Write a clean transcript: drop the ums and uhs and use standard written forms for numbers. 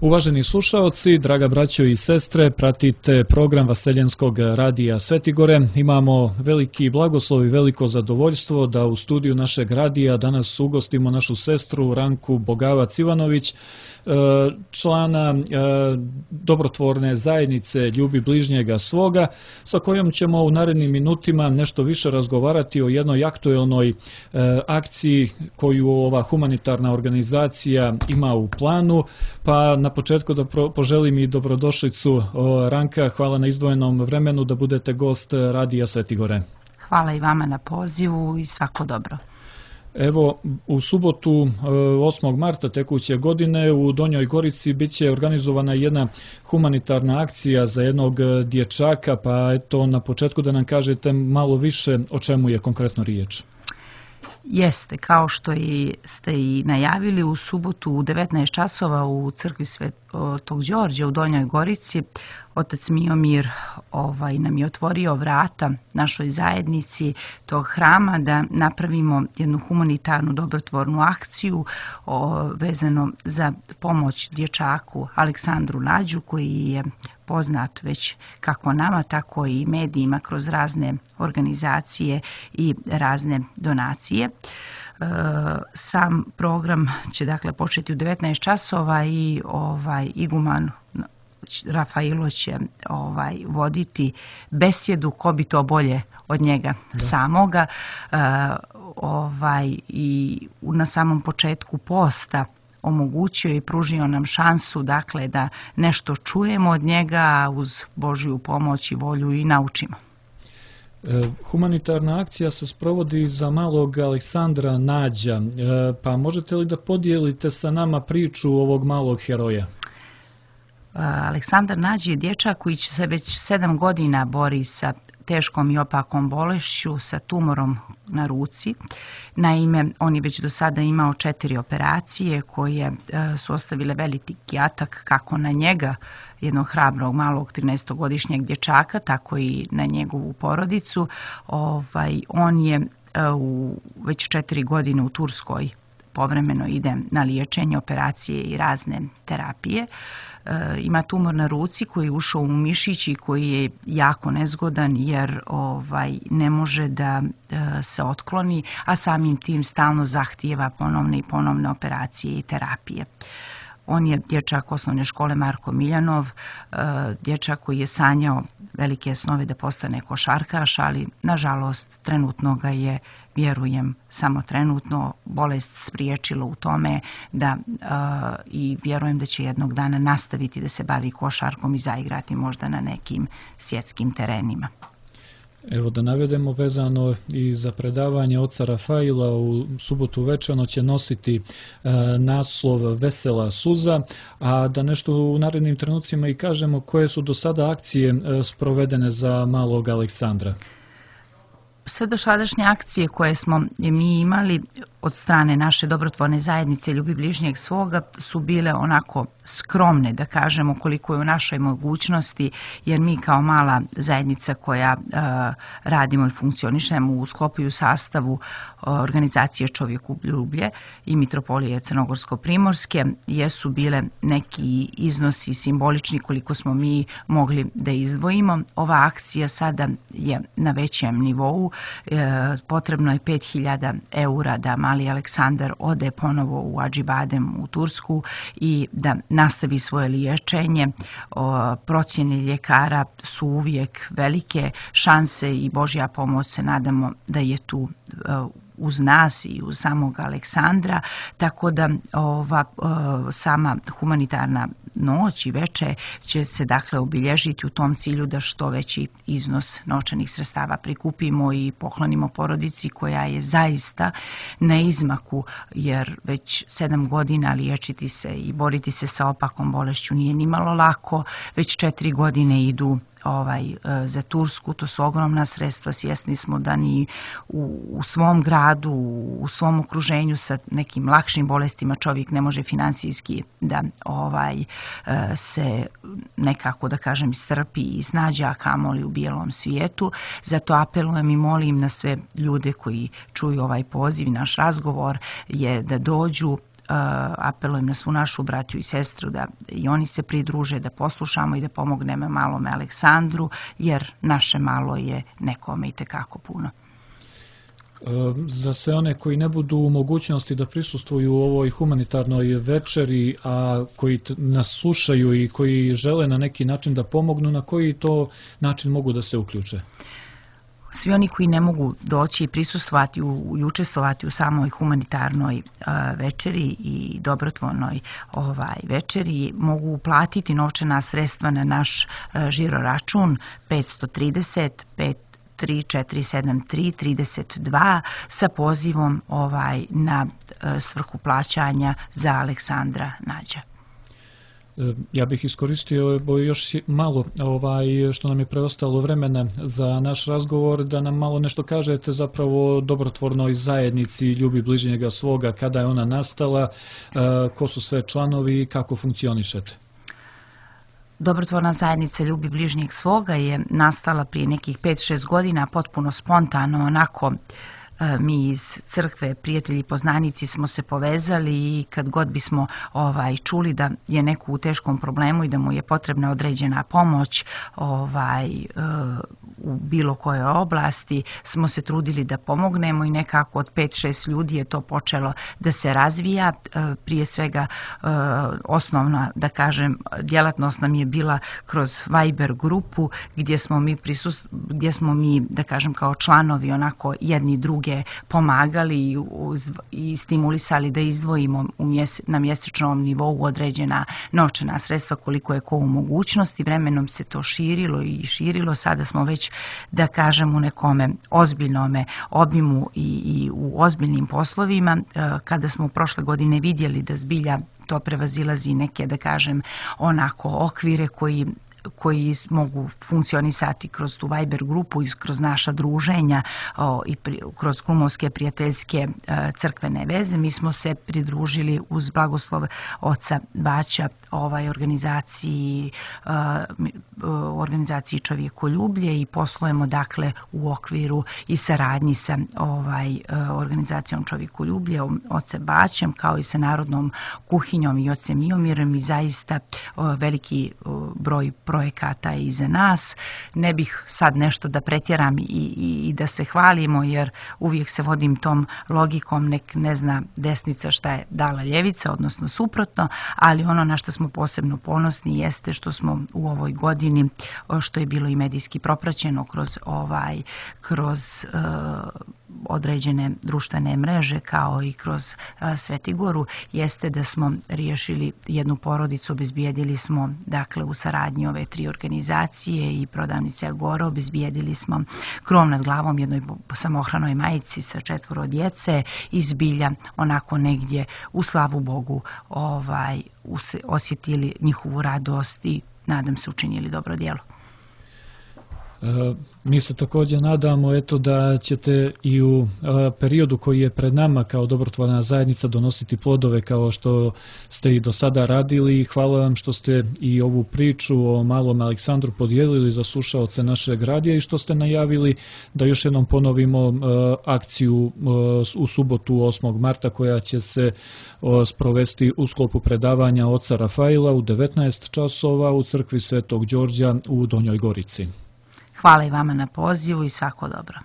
Uvaženi slušaoci, draga braćo i sestre, pratite program Vaseljenskog radija Svetigore. Imamo veliki blagoslov i veliko zadovoljstvo da u studiju našeg radija danas ugostimo našu sestru Ranku Bogavac-Ivanović, člana dobrotvorne zajednice Ljubi bližnjega svoga, sa kojom ćemo u narednim minutima nešto više razgovarati o jednoj aktuelnoj akciji koju ova humanitarna organizacija ima u planu. Pa na početku da poželim i dobrodošlicu. Ranka, hvala na izdvojenom vremenu da budete gost radija Svetigore. Hvala i vama na pozivu i svako dobro. Evo, u subotu 8. marta tekuće godine u Donjoj Gorici bit će organizovana jedna humanitarna akcija za jednog dječaka, pa eto na početku da nam kažete malo više o čemu je konkretno riječ. Jeste, kao što ste i najavili, u subotu u 19 časova u crkvi Svetog Đorđa u Donjoj Gorici otac Miomir nam je otvorio vrata našoj zajednici tog hrama da napravimo jednu humanitarnu dobrotvornu akciju vezano za pomoć dječaku Aleksandru Nađu, koji je poznat već kako nama, tako i medijima kroz razne organizacije i razne donacije. Sam program će dakle početi u 19 časova i iguman Rafailo će voditi besjedu, ko bi to bolje od njega samoga. I na samom početku posta omogućio i pružio nam šansu dakle da nešto čujemo od njega, uz Božju pomoć i volju i naučimo. Humanitarna akcija se sprovodi za malog Aleksandra Nađa, pa možete li da podijelite sa nama priču ovog malog heroja? Aleksandar Nađ je dječak koji se već 7 godina bori sa teškom i opakom bolešću, sa tumorom na ruci. Naime, on je već do sada imao 4 operacije koje su ostavile veliki atak kako na njega, jednog hrabrog malog 13-godišnjeg dječaka, tako i na njegovu porodicu. On je već 4 godine u Turskoj, povremeno ide na liječenje, operacije i razne terapije. Ima tumor na ruci koji je ušao u mišić i koji je jako nezgodan jer ne može da se otkloni, a samim tim stalno zahtijeva ponovne i ponovne operacije i terapije. On je dječak osnovne škole Marko Miljanov, dječak koji je sanjao velike snove da postane košarkaš, ali nažalost trenutno ga je, vjerujem, samo trenutno bolest spriječila u tome i vjerujem da će jednog dana nastaviti da se bavi košarkom i zaigrati možda na nekim svjetskim terenima. Evo da navedemo vezano i za predavanje oca Rafaila u subotu večerno će nositi naslov Vesela suza, a da nešto u narednim trenucima i kažemo koje su do sada akcije sprovedene za malog Aleksandra. Sve dosadašnje akcije koje smo mi imali od strane naše dobrotvorne zajednice Ljubi bližnjeg svoga su bile onako skromne, da kažemo, koliko je u našoj mogućnosti, jer mi kao mala zajednica koja radimo i funkcionišemo u sklopu i u sastavu organizacije Čovjekoljublje i Mitropolije Crnogorsko-Primorske jesu bile neki iznosi simbolični koliko smo mi mogli da izdvojimo. Ova akcija sada je na većem nivou. Potrebno je 5.000 eura da mali Aleksandar ode ponovo u Acibadem u Tursku i da nastavi svoje liječenje. Procjene ljekara su uvijek velike, šanse i Božja pomoć se nadamo da je tu uz nas i uz samog Aleksandra, tako da sama humanitarna noć i veče će se dakle obilježiti u tom cilju da što veći iznos novčanih sredstava prikupimo i poklonimo porodici koja je zaista na izmaku, jer već 7 godina liječiti se i boriti se sa opakom bolešću nije nimalo lako, već 4 godine idu za Tursku, to su ogromna sredstva. Svjesni smo da ni u svom gradu, u svom okruženju sa nekim lakšim bolestima čovjek ne može finansijski da se nekako, da kažem, strpi i snađe, a kamoli u bijelom svijetu. Zato apelujem i molim na sve ljude koji čuju ovaj poziv i naš razgovor je da dođu apelujem na svu našu braću i sestru da i oni se pridruže, da poslušamo i da pomognemo malome Aleksandru, jer naše malo je nekome i tekako puno. Za sve one koji ne budu u mogućnosti da prisustvuju u ovoj humanitarnoj večeri, a koji nas slušaju i koji žele na neki način da pomognu, na koji to način mogu da se uključe? Svi oni koji ne mogu doći i prisustvovati i učestvovati u samoj humanitarnoj večeri i dobrotvornoj večeri mogu uplatiti novčana sredstva na naš žiro račun 530 347332 sa pozivom na svrhu plaćanja za Aleksandra Nađa. Ja bih iskoristio još malo što nam je preostalo vremena za naš razgovor, da nam malo nešto kažete zapravo o dobrotvornoj zajednici Ljubi bližnjega svoga, kada je ona nastala, ko su sve članovi i kako funkcionišete. Dobrotvorna zajednica Ljubi bližnjeg svoga je nastala prije nekih 5-6 godina, potpuno spontano, onako mi iz crkve, prijatelji, poznanici smo se povezali i kad god bismo čuli da je neko u teškom problemu i da mu je potrebna određena pomoć u bilo kojoj oblasti, smo se trudili da pomognemo i nekako od 5-6 ljudi je to počelo da se razvija. Prije svega osnovna, da kažem, djelatnost nam je bila kroz Viber grupu gdje smo mi, da kažem, kao članovi onako jedni druge pomagali i stimulisali da izdvojimo na mjesečnom nivou određena novčana sredstva koliko je ko u mogućnosti. Vremenom se to širilo i širilo. Sada smo već, da kažem, u nekome ozbiljnome obimu i u ozbiljnim poslovima. Kada smo prošle godine vidjeli da zbilja to prevazilazi neke, da kažem, onako okvire koji mogu funkcionisati kroz tu Viber grupu i kroz naša druženja i kroz kumovske prijateljske crkvene veze. Mi smo se pridružili uz blagoslov oca Baća organizaciji Čovjekoljublje i poslujemo dakle u okviru i saradnji sa organizacijom Čovjekoljublje, ocem Baćem, kao i sa Narodnom kuhinjom i ocem Miomirom, i zaista veliki broj projekata iza nas. Ne bih sad nešto da pretjeram i da se hvalimo, jer uvijek se vodim tom logikom, nek ne zna desnica šta je dala ljevica, odnosno suprotno, ali ono na što smo posebno ponosni jeste što smo u ovoj godini, što je bilo i medijski propraćeno kroz određene društvene mreže kao i kroz Svetigoru, jeste da smo riješili jednu porodicu, obezbijedili smo dakle u saradnji ove 3 organizacije i prodavnice Agora, obezbijedili smo krov nad glavom jednoj samohranoj majici sa 4 djece i zbilja onako negdje u slavu Bogu osjetili njihovu radost i nadam se učinili dobro djelo. Mi se također nadamo da ćete i u periodu koji je pred nama kao dobrotvorna zajednica donositi plodove kao što ste i do sada radili. Hvala vam što ste i ovu priču o malom Aleksandru podijelili za slušaoce našeg radija i što ste najavili da još jednom ponovimo akciju u subotu 8. marta koja će se sprovesti u sklopu predavanja oca Rafaila u 19 časova u crkvi Svetog Đorđa u Donjoj Gorici. Hvala i vama na pozivu i svako dobro.